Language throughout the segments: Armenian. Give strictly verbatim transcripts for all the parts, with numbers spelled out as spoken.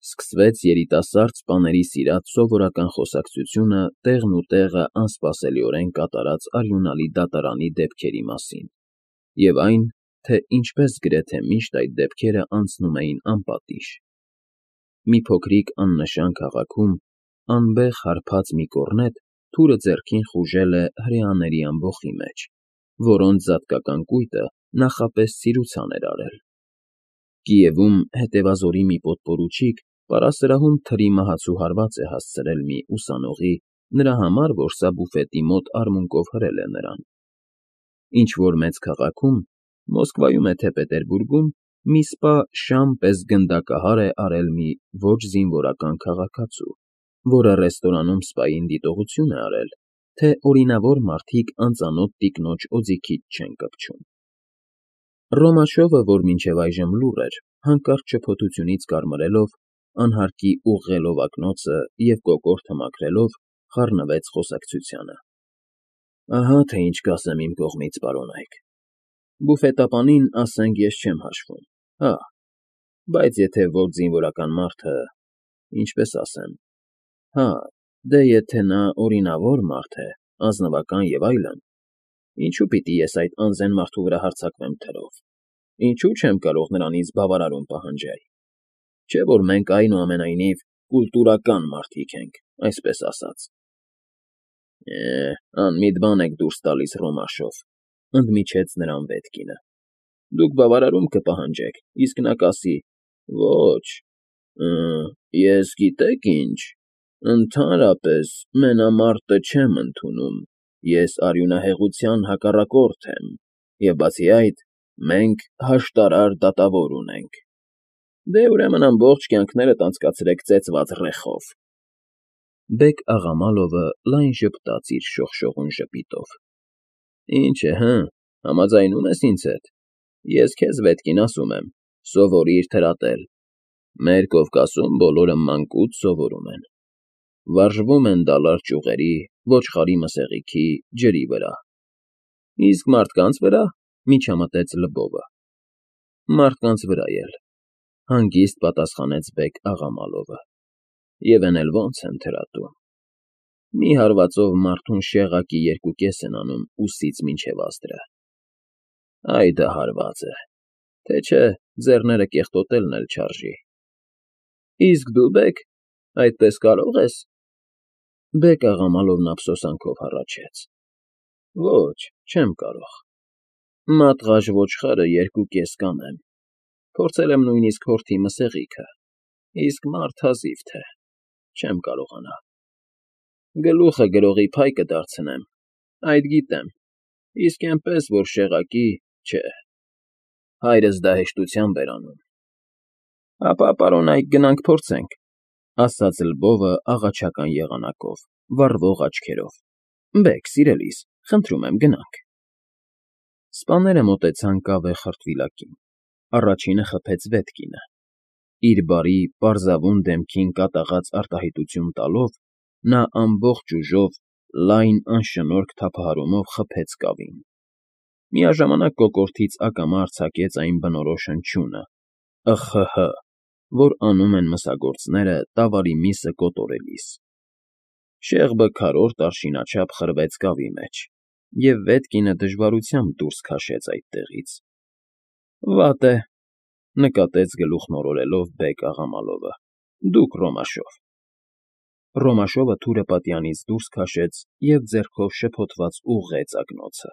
Սկսվեց երիտասարդ սպաների սիրած սովորական խոսակցությունը տեղն ու տեղը անսպասելիորեն կատարած արյունալի դատարանի դեպքերի մասին և այն, թե ինչպես գրեթե միշտ այդ դեպքերը անցնում էին անպատիժ։ Մի փոքրիկ աննշան քաղաքում անբեղ հարբած մի կոռնետ թուրը ձեռքին խուժել է հրեաների ամբոխի մեջ, որոնց զատկական կույտը նախապես ցիրուցան էր արել։ Կիևում հետևազորի մի պոտպորուչիկ պարասրահում թրի մահացու հարված է հասցրել մի ուսանողի նրա համար, որ սա բուֆետի մոտ արմունկով հրել է նրան։ Ինչ-որ մեծ քաղաքում, Մոսկվայում է թե Պետերբուրգում, մի սպա շամ պես գնդակահար է արել մի ոչ զինվորական քաղաքացու, որը ռեստորանում սպային դիտողություն է արել, թե օրինավոր մարդիկ անծանոթ տիկնոջ օձիքից չեն կպչում։ Ռոմաշովը, որ մինչև այժմ լուռ էր, հանկարծ շփոթությունից կարմրելով, անհարկի ուղղելով ակնոցը և կոկորդը մաքրելով, խառնվեց խոսակցությանը։ Ահա թե ինչ կասեմ իմ կողմից, պարոնայք, բուֆետապանին, ասենք, ես չեմ հաշվում, հա, բայց եթե ոչ զինվորական մարդը, ինչպես ասեմ, հա, դե եթե նա օրինավոր մարդ է, ազնվական և այլն, ինչու պիտի ես այդ անզեն մարդու վրա հարձակվեմ թրով, ինչու չեմ կարող նրանից բավարարում պահանջել, չէ՞ որ մենք այնուամենայնիվ կուլտուրական մարդիկ ենք, այսպես ասած։ Է, անմիտ բան եք դուրս տալիս, Ռոմաշով, ընդմիջեց նրան Վետկինը։ Դուք բավարարում կպահանջեք, իսկ նա կասի. ոչ, ես գիտեք ինչ, ընդհանրապես մենամարտը չեմ ընդունում, ես արյունահեղության հակառակորդ եմ, և բացի այդ, մենք հաշտարար դատավոր ունենք։ Դե, ուրեմն ամբողջ կյանքներդ անցկացրեք ծեծված ռեխով։ Բեկ֊Աղամալովը լայն ժպտաց իր շողշողուն ժպիտով։ Ինչ է, հը, համաձայնու՞մ ես ինձ հետ։ Ես քեզ, Վետկին, ասում եմ, սովորիր թրատել։ Մեր Կովկասում բոլորը մանկուց սովորում են։ Վարժվում են դալար ճյուղերի, ոչխարի մսեղիքի, ջրի վրա։ Իսկ մարդկանց վրա, միջամտեց Լվովը։ Մարդկանց վրա էլ, հանգիստ պատասխանեց Բեկ֊Աղամալովը։ Եվ էն էլ ոնց են թրատում։ Մի հարվածով մարդուն շեղակի երկուկես են անում ուսից մինչև ազդրը։ Այ դա հարված է, թե չէ ձեռները կեղտոտելն էլ չարժի։ Իսկ դու, Բեկ, այդպես կարո՞ղ ես։ Բեկ֊Աղամալովն ափսոսանքով հառաչեց։ Ոչ, չեմ կարող։ Մատղաշ ոչխարը երկուկես կանեմ, փորձել եմ նույնիսկ հորթի մսեղիքը, իսկ մարդ հազիվ թե, չեմ կարողանա։ Գլուխը գրողի փայ կդարձնեմ, այդ գիտեմ, իսկ էնպես որ շեղակի, չէ, հայրս դա հեշտությամբ էր անում։ Ապա, պարոնայք, գնանք փորձենք, ասաց Լվովը աղաչական եղանակով, վառվող աչքերով։ Բեկ, սիրելիս, խնդրում եմ, գնանք։ Սպաները մոտեցան կավե խրտվիլակին, առաջինը խփեց Վետկինը։ Իր բարի, պարզավուն դեմքին կատաղած արտահայտություն տալով, նա ամբողջ ուժով, լայն անշնորհք թափահարումով խփեց կավին։ Միաժամանակ կոկորդից ակամա արձակեց այն բնորոշ հնչյունը՝ ըխ֊հը֊հը, որ անում են մսագործները տավարի միսը կոտորելիս։ Շեղբը քառորդ արշինաչափ խրվեց կավի մեջ, և Վետկինը դժվարությամբ դուրս քաշեց այդտեղից։ Վատ է, նկատեց գլուխ մորորելով Բեկ֊Աղամալովը, դուք, Ռոմաշով։ Ռոմաշովը թուրը պատյանից դուրս քաշեց և ձեռքով շփոթված ուղղեց ակնոցը։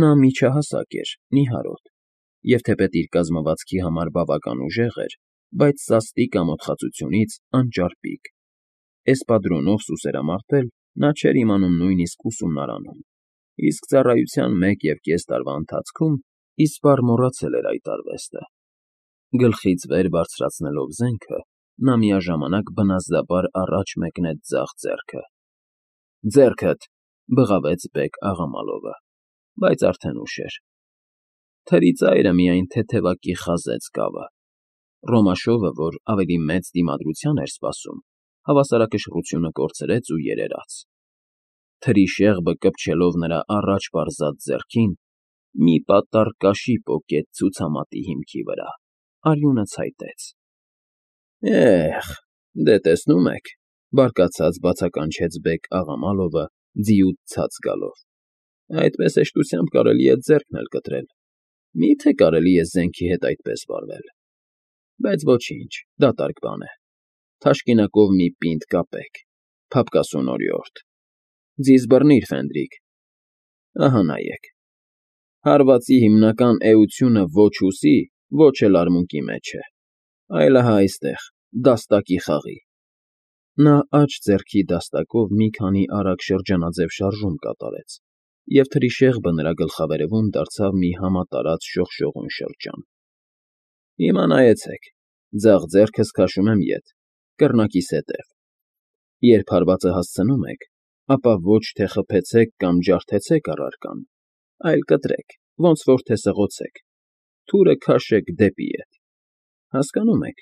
Նա միջահասակ էր, նիհարոտ, և թեպետ իր կազմվածքի համար բավական ուժեղ էր, բայց սաստիկ ամոթխածությունից անճարպիկ։ Էսպադրոնով սուսերամարտել նա չէր իմանում նույնիսկ ուսումնարանում, իսկ ծառայության մեկ և կես տարվա ընթացքում իսպառ մոռացել էր այդ արվեստը։ Գլխից վեր բարձրացնելով զենքը, նա միաժամանակ բնազդաբար առաջ մեկնեց ձախ ձեռքը։ Ձեռքդ, բղավեց Բեկ֊Աղամալովը, բայց արդեն ուշ էր։ Թրի ծայրը միայն թեթևակի խազեց կավը։ Ռոմաշովը, որ ավելի մեծ դիմադրության էր սպասում, հավասարակշռությունը կորցրեց ու երերաց։ Թրի շեղբը կպչելով նրա առաջ պարզած ձեռքին, մի պատառ կաշի պոկեց ցուցամատի հիմքի վրա, արյունը ցայտեց։ Էհ, դե տեսնում եք,֊ բարկացած բացականչեց Բեգ֊Աղամալովը, ձիուց ցած գալով,֊ այդպես հեշտությամբ կարելի է ձեռքն էլ կտրել, մի՞թե կարելի է զենքի հետ այդպես վարվել… Բայց ոչինչ, դատարկ բան է, թաշկինակով մի պինդ կապեք, փափկասուն օրիորդ, ձիզ բռնիր, Ֆենդրիկ, ահա նայեք, հարվածի հիմնական էությունը ոչ հուսի, ոչ էլ արմունկի մեջ է, այլ ահա այստեղ, դաստակի խաղի… Նա աջ ձեռքի դաստակով մի քանի արագ շրջանաձև շարժում կատարեց, և թրիշեղբը նրա գլխավերևում դարձավ մի համատարած շողշողուն շրջան։ Հիմա նայեցեք, ձախ ձեռքս քաշում եմ ետ, կռնակիս հետև. երբ հարվածը հասցնում եք, ապա ոչ թե խփեցեք կամ ջարդեցեք առարկան, այլ կտրեք, ոնց որ թե սղոցեք, թուրը քաշեք դեպի ետ… Հասկանո՞ւմ եք…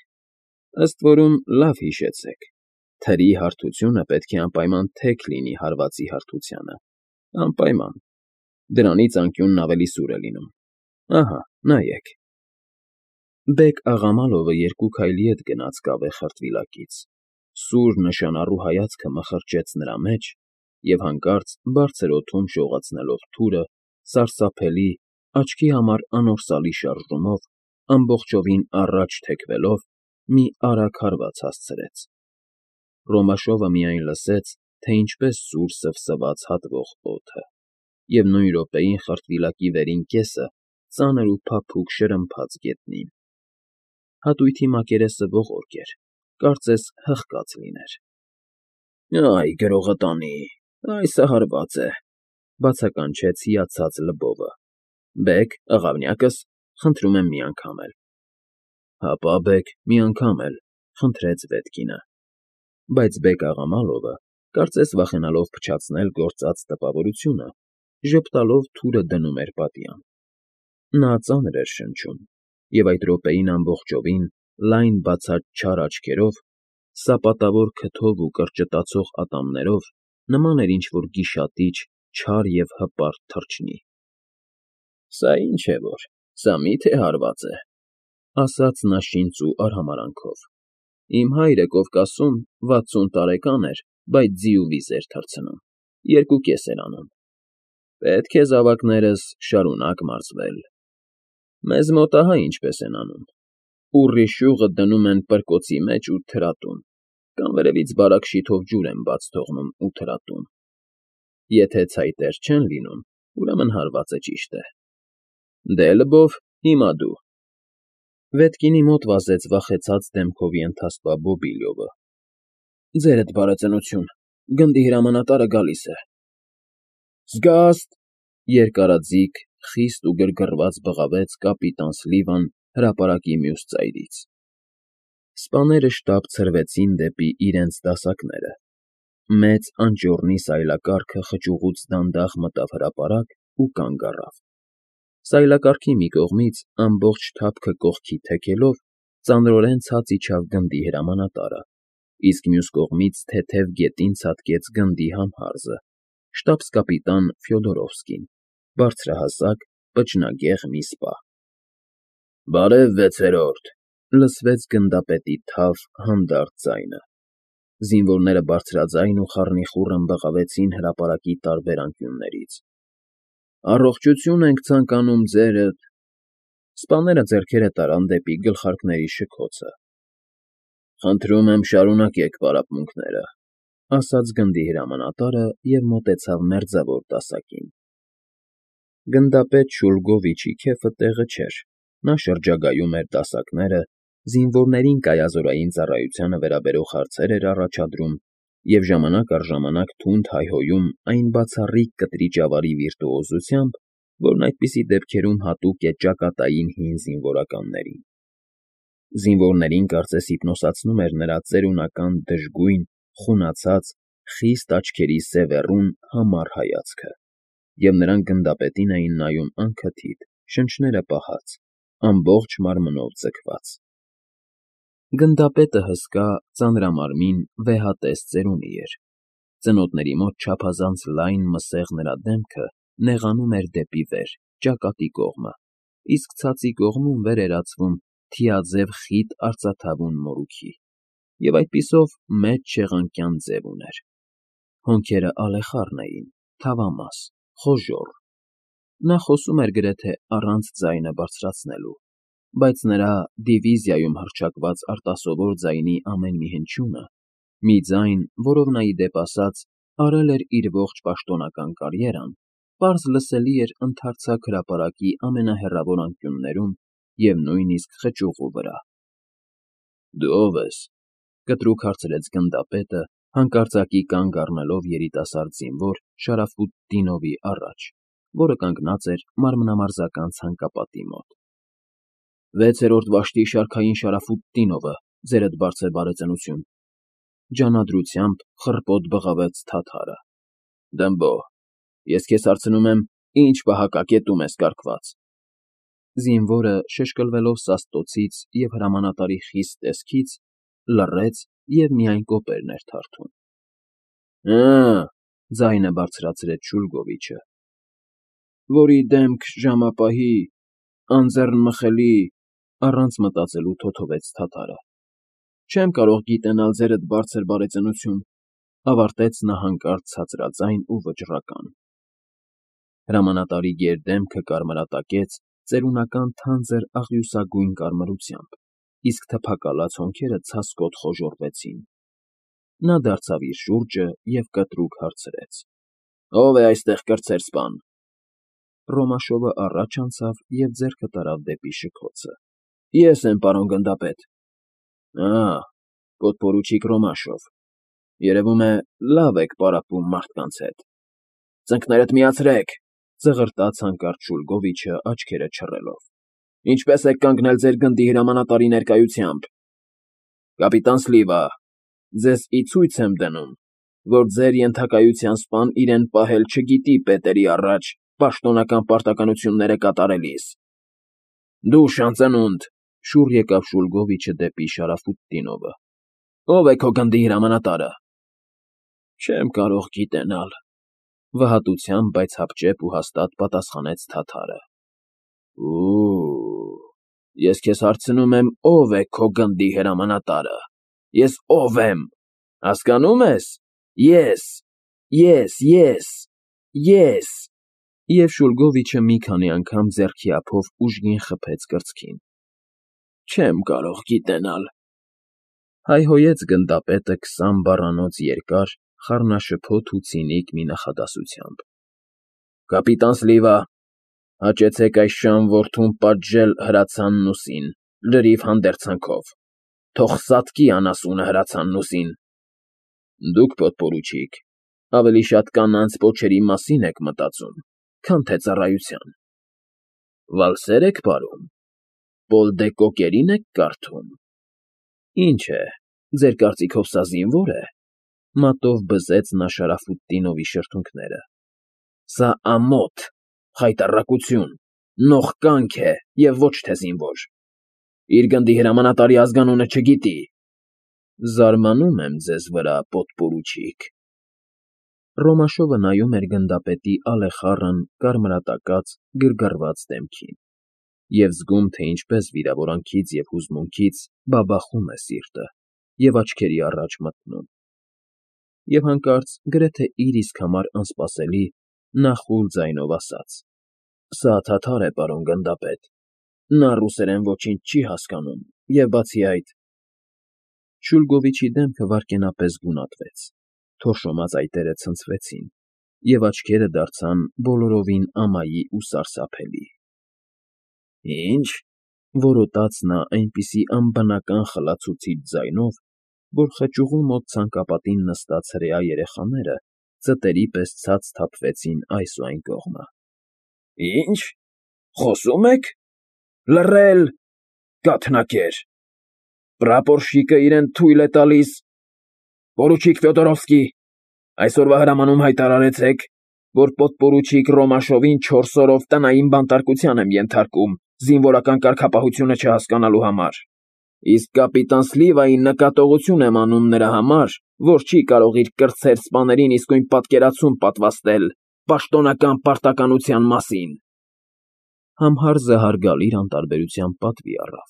Ըստ որում լավ հիշեցեք, թրի հարթությունը պետք է անպայման թեք լինի հարվածի հարթությանը, անպայման, դրանից անկյունն ավելի սուր է լինում, ահա, նայեք… Բեգ֊Աղամալովը երկու քայլի ետ գնաց կավե խրտվիլակից, սուր, նշանառու հայացքը մխրճեց նրա մեջ և հանկարծ բարձր օդում շողացնելով թուրը, սարսափելի, աչքի համար անորսալի շարժումով, ամբողջովին առաջ թեքվելով, մի արագ հարված հասցրեց… Ռոմաշովը միայն լսեց, թե ինչպես սուր սվսվաց հատվող օդը, և նույն րոպեին խրտվիլակի վերին կեսը ծանր ու փափուկ շրմփաց գետնին… Հատույթի մակերեսը ողորկ էր, կարծես հղկած լիներ։ ֊ Այ գրողը տանի, այ սա հարված է,֊ բացականչեց հիացած Լբովը։֊ Բեգ, աղավնյակս, խնդրում եմ մի անգամ էլ… ֊ Հապա, բեգ, մի անգամ էլ,֊ խնդրեց Վետկինը։ Բայց Բեգ֊Աղամալովը, կարծես վախենալով փչացնել գործած տպավորությունը, ժպտալով թուրը դնում էր պատյան… Նա ծանր էր շնչում, և այդ րոպեին ամբողջովին, լայն բացած չար աչքերով, սապատավոր քթով ու կրճտացող ատամներով նման էր ինչ֊որ գիշատիչ, չար և հպարտ թռչնի։ ֊ Սա ինչ է որ, սա մի՞թե հարված է,֊ ասաց նա շինծ ու արհամարհանքով։֊ Իմ հայրը Կովկասում վաթսուն տարեկան էր, բայց ձի ու վիզ էր թռցնում, երկու կես էր անում… Պետք է զավակներս շարունակ մարզվել… Մեզ մոտ ահա ինչպես են անում. ուռի շյուղը դնում են պրկոցի մեջ ու թրատում, կամ վերևից բարակ շիթով ջուր են բաց թողնում ու թրատում… Եթե ցայտեր չեն լինում, ուրեմն հարվածը ճիշտ է… Դե, Լբով, հիմա դու… Վետկինի մոտ վազեց վախեցած դեմքով ենթաստվա Բոբիլյովը։ ֊ Ձերդ բարեծնություն, գնդի հրամանատարը գալիս է… Զգա՜ստ,֊ երկարաձիգ, խիստ ու գրգռված բղավեց կապիտան Սլիվան հրապարակի մյուս ծայրից։ Սպաները շտապ ցրվեցին դեպի իրենց դասակները, մեծ անճոռնի սայլակառքը խճուղուց դանդաղ մտավ հրապարակ ու կանգ առավ… Սայլակառքի մի կողմից, ամբողջ թափքը կողքի թեքելով, ծանրորեն ցած իջավ գնդի հրամանատարը, իսկ մյուս կողմից թեթև գետին ցատկեց գնդի համհարզը, շտաբս֊կապիտան Ֆյոդորովսկին, բարձրահասակ, պճնագեղ մի սպա։ ֊ Բարև, վեցերորդ,֊ լսվեց գնդապետի թավ, հանդարտ ձայնը… Զինվորները բարձրաձայն ու խառնիխուռն բղավեցին հրապարակի տարբեր անկյուններից։ ֊ Առողջություն ենք ցանկանում ձերդ… Սպաները ձեռքերը տարան դեպի գլխարկների շքոցը։ ֊ Խնդրում եմ, շարունակեք պարապմունքները,֊ ասաց գնդի հրամանատարը և մոտեցավ մերձավոր դասակին։ Գնդապետ Շուլգովիչի քեֆը տեղը չէր, նա շրջագայում էր դասակները, զինվորներին կայազորային ծառայությանը վերաբերող հարցեր էր առաջադրում և ժամանակ առ ժամանակ թունդ հայհոյում այն բացառիկ կտրիճավարի վիրտուոզությամբ, որն այդպիսի դեպքերում հատուկ է ճակատային հին զինվորականներին։ Զինվորներին կարծես հիպնոսացնում էր նրա ծերունական դժգույն, խունացած, խիստ աչքերի սևեռուն, համառ հայացքը, և նրանք գնդապետին էին նայում անքթիթ, շնչները պահած, ամբողջ մարմնով ձգված… Գնդապետը հսկա, ծանրամարմին, վեհատես ծերունի էր, ծնոտների մոտ չափազանց լայն մսեղ նրա դեմքը նեղանում էր դեպի վեր, ճակատի կողմը, իսկ ցածի կողմում վեր էր ածվում թիաձև խիտ արծաթավուն մորուքի։ և այդպիսով մեծ չեղանկյան ձև ուներ։ Հոնքերը ալեխառն էին, թավամաս, խոժոռ։ Նա խոսում էր գրեթե առանց ձայնը բարձրացնելու, բայց նրա դիվիզիայում հռչակված արտասովոր ձայնի ամեն մի հնչյունը, մի ձայն, որով նա, ի դեպ ասած, արել էր իր ողջ պաշտոնական կարիերան, պարզ լսելի էր ընդարձակ հրապարակի ամենահեռավոր անկյուններում և նույնիսկ խճուղու վրա։ ֊ Դու ո՞վ ես,֊ կտրուկ հարցրեց գնդապետը, հանկարծակի կանգ առնելով երիտասարդ զինվոր Շարաֆուտ Դինովի առաջ, որը կանգնած էր մարմնամարզական ցանկապատի մոտ։ ֊ Վեցերորդ վաշտի շարքային Շարաֆուտ Դինովը, ձերդ բարձր բարեծնություն,֊ ջանադրությամբ խռպոտ բղավեց թաթարը։ ֊ Դմբո, ես քեզ հարցնում եմ, ի՞նչ պահակակետում ես կառքված։ Զինվորը, շշկլվելով սաստոցից և հրամանատարի խիստ տեսքից, լռեց և միայն կոպերն էր թարթում։ ֊ Հը՜,֊ ձայնը բարձրացրեց Շուլգովիչը,֊ որի դեմք ժամապահի, անձեռնմխելի,֊ առանց մտածելու թոթվեց թաթարը։ ֊ Չեմ կարող գիտենալ, ձերդ բարձր բարեծնություն,֊ ավարտեց նա հանկարծ ցածրաձայն ու վճռական։ Հրամանատարի գերդեմքը կարմրատակեց ծերունական թանձր աղյուսագույն կարմրությամբ, իսկ թփակալած հոնքերը ցասկոտ խոժոռվեցին։ Նա դարձավ իր շուրջը և կտրուկ հարցրեց. ֊ Ո՞վ է այստեղ կրտսեր սպան։ Ռոմաշովը առաջ անցավ և ձեռքը տարավ դեպի շքոցը։ ֊ Ես եմ, պարոն գնդապետ։ ֊ Ա՜, պոդպորուչիկ Ռոմաշով, երևում է, լավ եք պարապում մարդկանց հետ։ ֊ Ծնկներդ միացրեք,֊ ծղրտաց հանկարծ Շուլգովիչը, աչքերը չռելով։ ֊ Ինչպե՞ս եք կանգնել ձեր գնդի հրամանատարի ներկայությամբ։ ֊ Կապիտան Սլիվա, ձեզ ի ցույց եմ դնում, որ ձեր ենթակայության սպան իրեն պահել չգիտի պետերի առաջ պաշտոնական պարտականությունները կատարելիս։ ֊ Դու շանծենունդ,֊ շուռ եկավ Շուլգովիչը դեպի Շարաֆուտ Դինովը,֊ ո՞վ է քո գնդի հրամանատարը։ ֊ Չեմ կարող գիտենալ,֊ վհատությամբ, բայց հապճեպ ու հաստատ պատասխանեց թաթարը։ ֊ Օ՜օ, ես քեզ հարցնում եմ, ո՞վ է քո գնդի հրամանատարը։ Ես ո՞վ եմ, հասկանո՞ւմ ես։ Ես, ես, ես, ես… Եվ Շուլգովիչը մի քանի անգամ ձեռքի ափով ուժգին խփեց կրծքին։ ֊ Չեմ կարող գիտենալ,֊ հայհոյեց գնդապետը քսան բառանոց երկար, խառնաշփոթ ու ցինիկ մի նախադասությամբ։ ֊ Կապիտան Սլիվա, հաճեցեք այս շան որդուն պատժել հրացանն ուսին, լրիվ հանդերձանքով, թող սատկի անասունը հրացանն ուսին։ ֊ Դուք, պոդպորուչիկ, ավելի շատ կանանց պոչերի մասին եք մտածում, քան թե ծառայության։ ֊ Վալսե՞ր եք պարում, Պոլ դե Կոկերին եք կարդում։ ֊ Ինչ է, ձեր կարծիքով սա զինվո՞ր է,֊ մատով բզեց նա Շարաֆուտ Դինովի շրթունքները։ ֊ Սա ամոթ, խայտառակություն, նողկանք է և ոչ թե զինվոր։ Իր գնդի հրամանատարի ազգանունը չգիտի։ ֊ Զարմանում եմ ձեզ վրա, պոդպորուչիկ։ Ռոմաշովը նայում էր գնդապետի ալեխառն, կարմրատակած, գրգռված դեմքին և զգում, թե ինչպես վիրավորանքից և հուզմունքից բաբախում է սիրտը և աչքերի առաջ մթնում։ Եվ հանկարծ, գրեթե իր իսկ համար անսպասելի, նա խուլ ձայնով ասաց. ֊ Սա թաթար է, պարոն գնդապետ, նա ռուսերեն ոչինչ չի հասկանում և, բացի այդ… Շուլգովիչի դեմքը վայրկենապես գունատվեց, թորշոմած այտերը ցնցվեցին, և աչքերը դարձան բոլորովին ամայի ու սարսափելի։ ֊ Ի՞նչ,֊ որոտաց նա այնպիսի անբնական խլացուցիչ ձայնով, որ խճուղու մոտ ցանկապատին նստած հրեա երեխաները ծտերի պես ցած թափվեցին այս ու այն կողմը։ ֊ Ի՞նչ, խոսո՞ւմ եք, լռել, կաթնակեր… Պրապորշիկը իրեն թույլ է տալիս… Պորուչիկ Ֆյոդորովսկի, այսօրվա հրամանում հայտարարեցեք, որ պոդպորուչիկ Ռոմաշովին չորս օրով տնային բանտարկության եմ ենթարկում զինվորական կարգապահությունը չհասկանալու համար, իսկ կապիտան Սլիվային նկատողություն եմ անում նրա համար, որ չի կարող իր կրտսեր սպաներին իսկույն պատկերացում պատվաստել պաշտոնական պարտականության մասին։ Համհարզը հարգալից անտարբերությամբ պատվի առավ։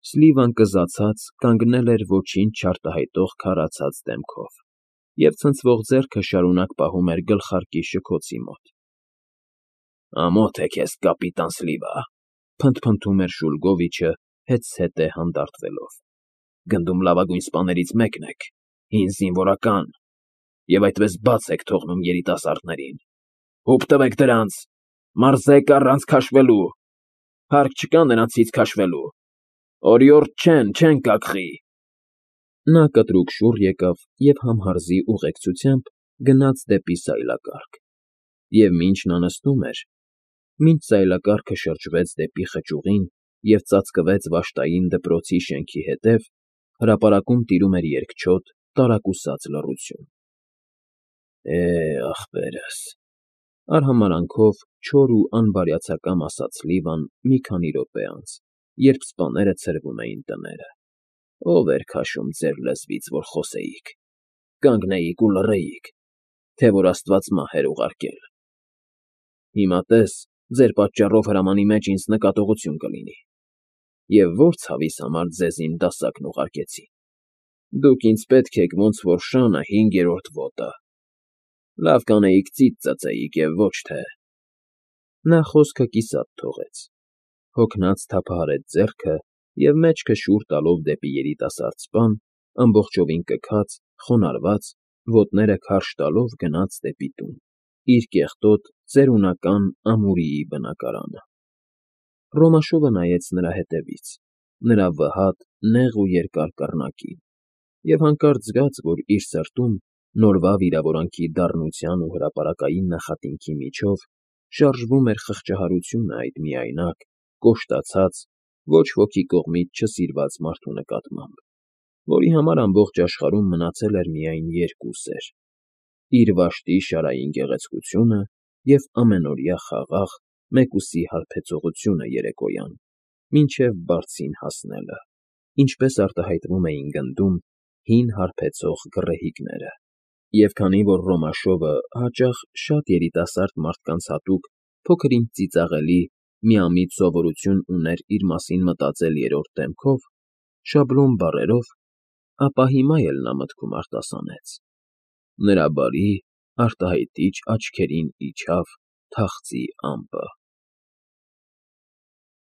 Սլիվան կզացած կանգնել էր ոչինչ չարտահայտող քարացած դեմքով և ցնցվող ձեռքը շարունակ պահում էր գլխարկի շքոցի մոտ։ ֊ Ամոթ է քեզ, կապիտան Սլիվա,֊ փնթփնթում էր Շուլգովիչը հետզհետե հանդարտվելով։֊ Գնդում լավագույն սպաներից մեկն եք, հին զինվորական, և այդպես բաց եք թողնում երիտասարդներին… Հուպ տվեք դրանց, մարզեք առանց քաշվելու… Հարկ չկա նրանցից քաշվելու… Օրիորդ չեն, չեն կակղի… Նա կտրուկ շուռ եկավ և համհարզի ուղեկցությամբ գնաց դեպի սայլակառք, և մինչ նա նստում էր, մինչ սայլակառքը շրջվեց դեպի խճուղին և ծածկվեց վշտային դպրոցի շենքի հետև, հրապարակում տիրում էր երկչոտ, տարակուսած լռություն։ ֊ Է՜, ախպերս,֊ արհամարհանքով չոր ու անբարյացակամ ասաց Սլիվան մի քանի րոպե անց, երբ սպաները ցրվում էին տները։֊ Ո՞վ էր քաշում ձեր լեզվից, որ խոսեիք, կանգնեիք ու լռեիք, թե որ աստված մահ էր ուղարկել… Հիմա տես, ձեր պատճառով հրամանի մեջ ինձ նկատողություն կլինի… Եվ ո՞ր ցավիս համար ձեզ իմ դասակն ուղարկեցին… Դուք ինձ պետք եք ոնց որ շանը հինգերորդ ոտը… Լավ կանեիք ծիծ ծծեիք և ոչ թե… Նա խոսքը կիսատ թողեց, հոգնած թափահարեց ձեռքը և մեջքը շուռ տալով դեպի երիտասարդ սպան, ամբողջովին կքած, խոնարհված, ոտները քարշ տալով գնաց դեպի տուն, իր կեղտոտ, ծերունական ամուրիի բնակարանը… Ռոմաշովը նայեց նրա ետևից, նրա վհատ, նեղ ու երկար կռնակին, և հանկարծ զգաց, որ իր սրտում, նորվա վիրավորանքի դառնության ու հրապարակային նախատինքի միջև շարժվում էր խղճահարությունը այդ միայնակ, կոշտացած, ոչ ոքի կողմից չսիրված մարդու նկատմամբ, որի համար ամբողջ աշխարհում մնացել էր միայն երկու սեր՝ իր վաշտի շարային գեղեցկությունը և ամենօրյա խաղաղ, մեկուսի հարբեցողությունը երեկոյան, մինչև բարձին հասնելը, ինչպես արտահայտվում էին գնդում հին հարբեցող գռեհիկները, և քանի որ Ռոմաշովը հաճախ շատ երիտասարդ մարդկանց հատուկ փոքր֊ինչ ծիծաղելի, միամիտ սովորություն ուներ իր մասին մտածել երրորդ դեմքով, շաբլոն բառերով, ապա հիմա էլ նա մտքում արտասանեց. նրա բարի, արտահայտիչ աչքերին իջավ թախծի ամպը։